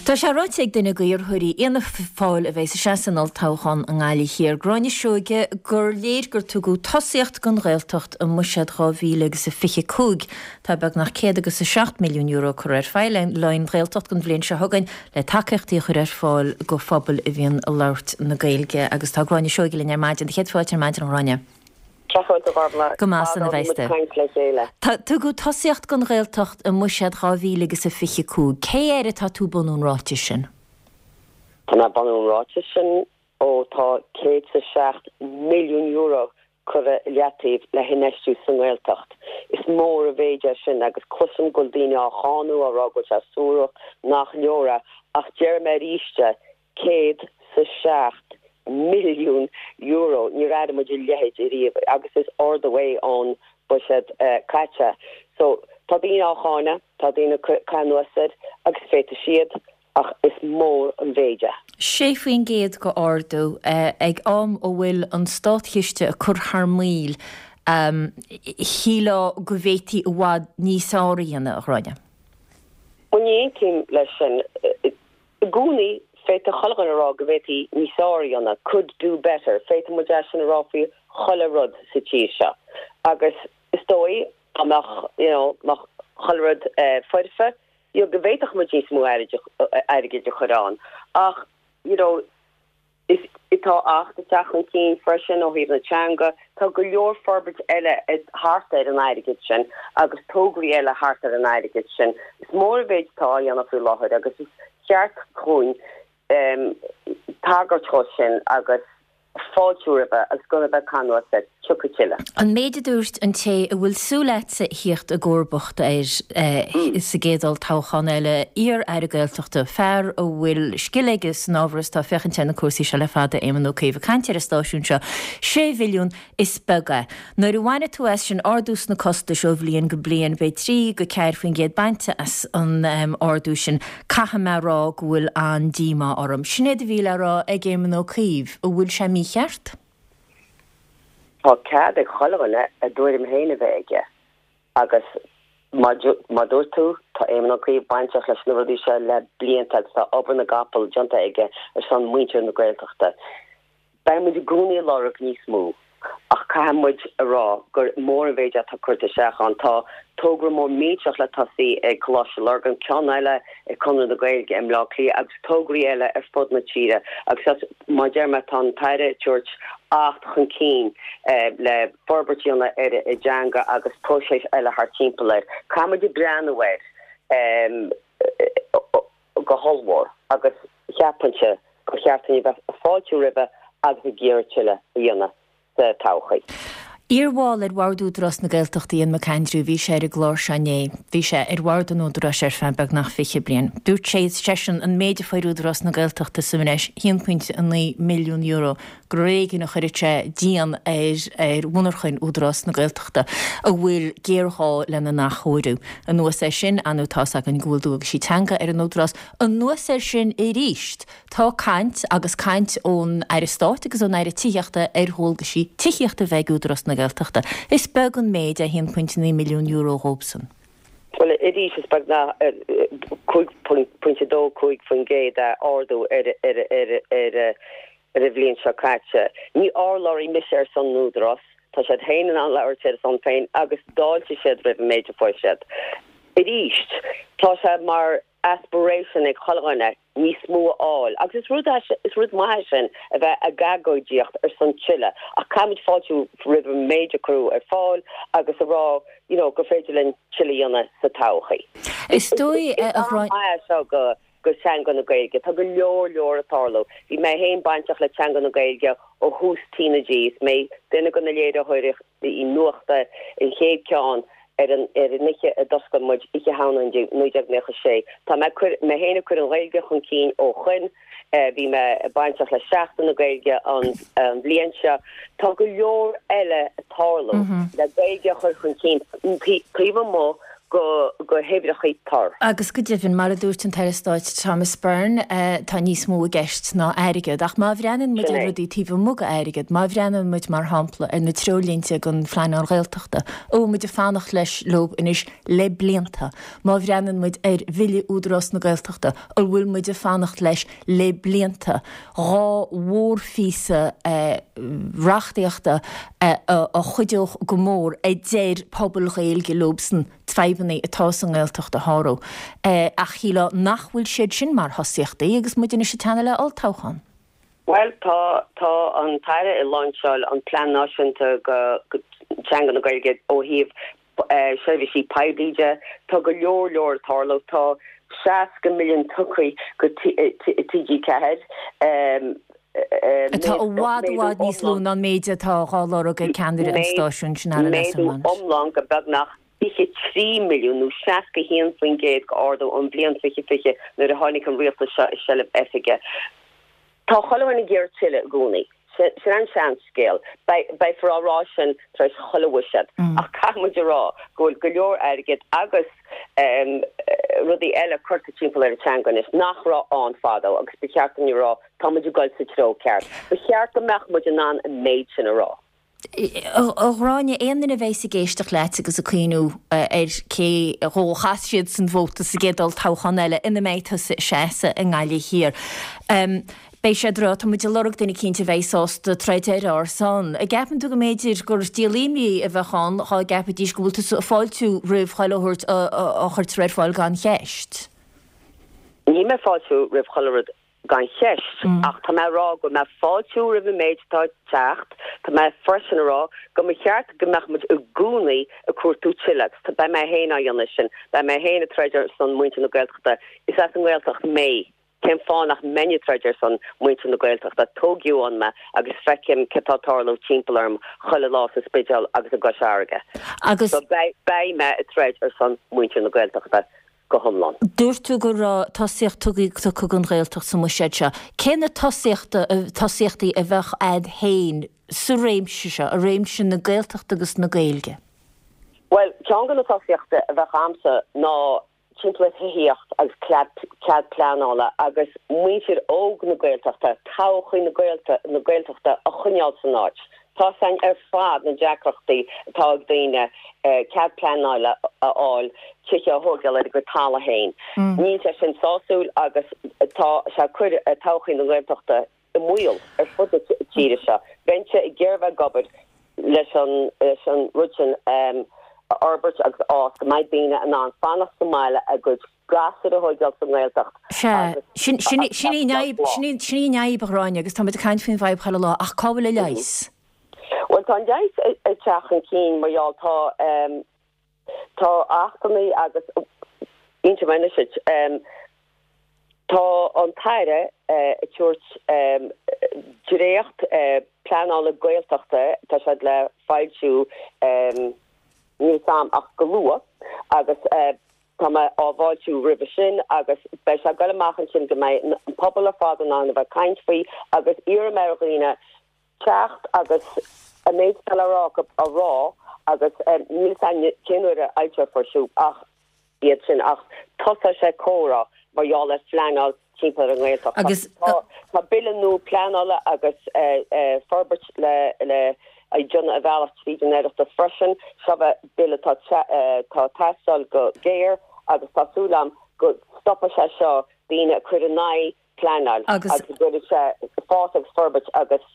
Tá sé ráite ag duine d'iarrthóirí Fhianna Fáil a bheas ag seasamh san olltoghchán i nGaillimh Thiar, Gráinne Seoige, gur léir gur tugadh tosaíocht don Ghaeltacht i mBuiséad 2025. Tá beagnach €107 milliún curtha ar fáil le haghaidh an Ghaeltacht don bhliain seo chugainn le tacaíochtaí a chur ar fáil do phobail a bhíonn ag labhairt na Gaeilge. Agus tá Gráinne Seoige linn ar maidin. Céad fáilte ar maidin, a Ghráinne. Cén chaoi a bhfuil Go maith san a bheas tú. Caint le chéile. Tá, tugadh tosaíocht don Ghaeltacht i mBuiséad 2025. Cé air atá tú ag bunú an ráitis sin? Tá mé ag bunú an ráitis sin ó tá €107 milliún curtha i leataobh le hinfheistiú sa nGaeltacht. Is mór an mhéid é sin agus cloisim go bhfuil daoine á cháineadh, á rá go bhfuil sé suarach, nach leor é, ach déarfaidh mé arís é, €107 milliún, níor airigh muid a leithéid ariamh agus is ardú é ón buiséad caite. So, tá daoine á cháineadh, tá daoine ag caitheamh anuas air agus féadfaidh siad ach is mór an mhéid é. 6% de ardú ag am a bhfuil an státchiste ag cur thar maoil, shílfeá go bhféadfaí i bhfad níos fearr a dhéanamh, a Ghráinne. Bhuel, ní aontaím leis sin. I gcónaí, féadfaidh chuile dhuine a rá go bhféadfaí níos fearr a dhéanamh, could do better, féadfaidh muid é sin a rá faoi chuile rud sa tír seo. Agus is dóigh, dá mbeadh, you know, mbeadh chuile rud foirfe, you know, go bhféadfadh muid níos mó airgid a chur ann. Ach, you know, Is tá Acht ag teacht chun cinn freisin ó thaobh na teanga. Tá go leor forbairt eile thart ar an airgead sin agus tograí eile thart ar an airgead sin. Is mór an mhéid atá á dhéanamh faoi láthair agus is cheart dhúinn tagairt dhó sin agus fáiltiú roimhe agus gan a bheith ag caitheamh anuas air. Tiocfaidh tuilleadh. An méid a dúirt an té a bhfuil súil agatsa a thíocht i gcomharbacht air sa gcéad olltoghchán eile, iar-aire Gaeltachta, fear a bhfuil scil aige san ábhar is atá ag féachaint ar na cúrsaí seo le fada, Éamon Ó Cuív, ag caint ar an stáisiún seo, sé bhilliún, is beag é. Nuair a bhainfidh tú as sin ardú sna costais ó bhliain go bliain, beidh 3-4% bainte as an ardú sin. Caithfidh mé a rá go bhfuil an-díomá orm. Sin é a bhí le rá ag Éamon Ó Cuív. An bhfuil sé mícheart? Tá cead ag chuile dhuine a dtuairim féin a bheith aige agus mar dúirt tú, tá Éamon Ó Cuív bainteach leis na rudaí seo le blianta agus tá obair na gcapall déanta aige ar son muintir na Gaeltachta. Beidh muid i gcónaí ag lorg níos mó ach caithfidh muid a rá gur mór an mhéid atá curtha isteach ann. Tá togra mór millteach le tosaí ag Coláiste Lurgan, ceann eile ag Conradh na Gaeilge i mBleá Cliath agus tograí eile ar fud na tíre agus mar a deir mé tá an tAire ag tabhairt Acht chun cinn le forbairt a dhéanamh ar an dteanga agus próiseas eile thart timpeall air. Caithfidh muid breathnú air go hollmhór agus cheapfainnse gur cheart dúinn a bheith ag fáiltiú roimhe agus ag iarraidh tuilleadh a dhéanamh. sa todhchaí. Iar-bhall ar Bhord Údarás na Gaeltachta Ian McAndrew, bhí sé ar an gclár seo inné. Bhí sé ar bhord an Údaráis ar feadh beagnach 20 bliain. Dúirt sé, seisean, an méid a fuair Údarás na Gaeltachta sa mbreis, €1.9 milliún, gur ar éigean a chuirfeadh sé díon ar ar mhonarchain Údarás na Gaeltachta, a bhfuil géarghá lena n-athchóiriú. Anuas air sin, ar ndóigh tá's againn go bhfuil dualgaisí teanga ar an Údarás. Anuas air sin aríst, Tá caint, agus caint ón Aire Stáit agus ón Aire Tithíochta ar dhualgaisí tithíochta a bheith ag Údarás na Gaeltachta. Is beag an méid é €1.9 milliún dhóibhsan. Bhuel, arís, is beagnach 5.25% é ardú ar an bhliain seo caite. Ní urlabhraí mise ar son an Údarás, tá siad féin in ann labhairt ar a son féin agus d'fháiltigh siad roimh an méid a fuair siad. Arís, tá sé mar aspiration ag chuile dhuine níos mó a fháil agus is rud é is rud maith é sin a bheith ag agóidíocht ar son tuilleadh ach caithfimid fáiltiú roimh an méid a cuireadh ar fáil agus a rá you know gur féidir linn tuilleadh a dhéanamh sa todhchaí. Is dóigh a Is am maith é seo go go teanga na Gaeilge. Tá go leor leor ag tarlú. Bhí mé féin bainteach le teanga na Gaeilge ó thús TnaG. Is mé duine de na léiritheoirí nuachta an chéad ceann ar an ar an oíche a d'oscail muid, Oíche Shamhna 1996. Tá mé cur, mé féin ag cur an Ghaeilge chun cinn ó shoin. Bhí mé bainteach le Seachtain na Gaeilge an an bhliain seo. Tá go leor eile ag tarlú le Gaeilge a chur chun cinn taobh amuigh. go go huimhreachaí tur. Agus go deimhin, mar a dúirt an tAire Stáit Thomas Byrne, tá níos mó i gceist ná airgead. Ach má bhreathnaíonn muid ar rudaí taobh amuigh d'airgead, má bhreathnaíonn muid, mar shampla, ar na treoirlínte don phleanáil Ghaeltachta, a bhfuil muid ag fanacht leis, leo anois le blianta, má bhreathnaíonn muid ar Bhille Údarás na Gaeltachta, a bhfuil muid ag fanacht leis le blianta, 2 mhórphíosa reachtaíochta a chuideodh go mór, a deir pobail Ghaeilge leobsan fadhbanna atá sa nGaeltacht a shárú. Ach shílfeá nach bhfuil siad sin mar thosaíochtaí agus muid anois ag teannadh le olltoghchán. Bhuel, tá, tá an tAire ag láinseáil an Plean Náisiúnta go Teanga na Gaeilge ó thaobh seirbhísí poiblí de. Tá go leor leor ag tarlú. Tá 60 milliún tugtha go TG4. Atá i bhfad i bhfad níos lú ná an méid atá dhá lorg ag ceannaire an stáisiúin sin, Alan Méadú iomlán go beagnach 23 milliún nó 61% de ardú ón bhliain 2020 nuair a tháinig an rialtas seo i seilbh oifige. Tá chuile dhuine ag iarraidh tuilleadh i gcónaí. Sin an seanscéal. Beifear á rá sin tar éis chuile bhuiséad. Ach caithfidh muid a rá go bhfuil go leor airgid agus rudaí eile curtha timpeall ar an teanga anois nach raibh ann fadó agus ba cheart dúinn a rá tá muid ag dul sa treo ceart. Ba cheart go mbeadh muid in ann an méid sin a rá. A Ghráinne, aon duine a bheas ag éisteacht leat agus ag cuimhniú ar cé dhó a chas siad san vóta sa gcéad olltoghchán eile ina mbeidh tusa ag seasamh i nGaillimh Thiar, beidh siad ag rá, tá muid ag lorg duine eicínt a bheidh sásta troid ar ár son. An gceapann tú go mb'fhéidir gur díol imní a bheadh ann dhá gceapfaidís go bhfuil tusa ag fáiltiú roimh chuile shórt a chuirtear ar fáil gan cheist? Níl mé ag fáiltiú roimh chuile rud gan cheist, ach tá mé a rá go bhfuil mé ag fáiltiú roimh an méid atá ag teacht, tá mé freisin a rá go mba cheart go mbeadh muid i gcónaí ag cuartú tuilleadh agus beidh mé féin á dhéanamh sin, beidh mé féin ag troid ar son muintir na Gaeltachta, is as an nGaeltacht mé, cén fáth nach mbeinn ag troid ar son muintir na Gaeltachta, tógadh ann mé agus feicim cé tá ag tarlú timpeall orm chuile lá sa Spidéal agus i gCois Fharraige. Agus. So beidh mé ag troid ar son muintir na Gaeltachta. go hiomlán. Dúirt tú go raibh tosaíocht tugtha don Ghaeltacht sa mbuiséad seo. Cé na tosaíochtaí a bheadh a'd féin sa réimse seo, i réimse na Gaeltachta agus na Gaeilge? Bhuel, ceann de na tosaíochtaí a bheadh a'msa ná timpeall ar thithíocht agus cead pleanála agus muintir óg na Gaeltachta, todhchaí na Gaeltachta a choinneáil san áit. Tá 's a'inn ar fad na deacrachtaí atá ag daoine cead pleanála a fháil tithe a thóigeáil ar a gcuid talamh féin. Níl sé sin sásúil agus tá sé ag cur todhchaí na Gaeltachta i mbaol ar fud na tíre seo. Bheinnse ag iarraidh bheith ag obair leis an rud sin a fhorbairt agus a fhás go mbeidh daoine in ann fanacht sa mbaile a gcuid gasúir a thóigeáil sa nGaeltacht Sea, sin, sin, sin í an fhadhb, sin í, sin í an fhadhb, a Ghráinne, agus tá muid ag caint faoin bhfadhb chuile lá, ach cá bhfuil an leigheas? Bhuel, tá an leigheas ag teacht chun cinn mar gheall, tá, tá achtanna agus, inseoidh mé anois duit, tá an tAire ag tabhairt dréacht pleanála Gaeltachta, tá siad le foilsiú, níl 's a'm ach go luath, agus Tá mé á bhfáiltiú roimhe sin agus beidh sé ag dul amach ansin go mbeidh an pobal ar fad in ann a bheith ag caint faoi agus iarraim ar dhaoine teacht agus an méid atá le rá acu a rá agus níl 'fhios a'inn cén uair a fhoilseofar siúd ach iad sin ach tosóidh sé comhrá mar gheall ar phleanáil timpeall ar an nGaeltacht. Agus. Tá bille nua pleanála agus forbairt le déanamh a bhealach tríd an Oireachtas freisin. Seo bille atá ag teastáil go géar agus tá súil agam go stopfaidh sé seo daoine ag cur in aghaidh pleanáil agus go gcuirfidh sé fás agus forbairt agus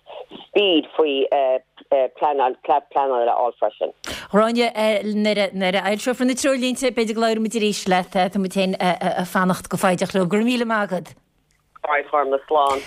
speed faoi pleanáil, cead pleanála a fháil freisin. Gráinne, nuair a fhoilseofar na treoirlínte, b'fhéidir go labhróidh muid arís leat. Tá muid féin ag fanacht go foighdeach leo. Go raibh míle maith agat. Alright, Gormlaith, slán.